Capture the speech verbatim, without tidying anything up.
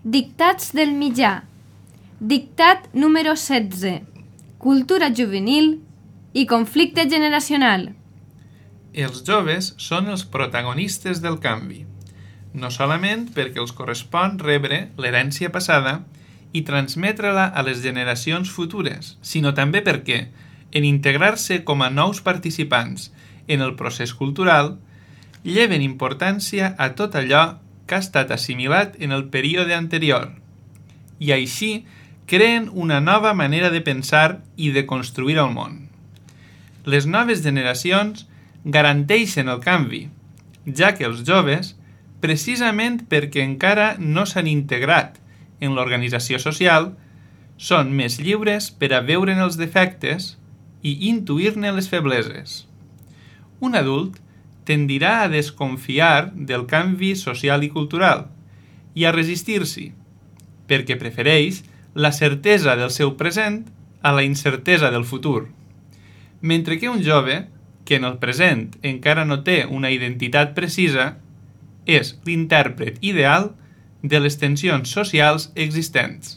Dictats del mitjà. Dictat número setze. Cultura juvenil i conflicte generacional. Els joves són els protagonistes del canvi, no solament perquè els correspon rebre l'herència passada i transmetre-la a les generacions futures, sinó també perquè, en integrar-se com a nous participants en el procés cultural, lleven importància a tot allò que ha estat assimilat en el període anterior, i així creen una nova manera de pensar i de construir el món. Les noves generacions garanteixen el canvi, ja que els joves, precisament perquè encara no s'han integrat en l'organització social, són més lliures per a veure'n els defectes i intuir-ne les febleses. Un adult tendirà a desconfiar del canvi social i cultural i a resistir-s'hi, perquè prefereix la certesa del seu present a la incertesa del futur, mentre que un jove, que en el present encara no té una identitat precisa, és l'intèrpret ideal de les tensions socials existents.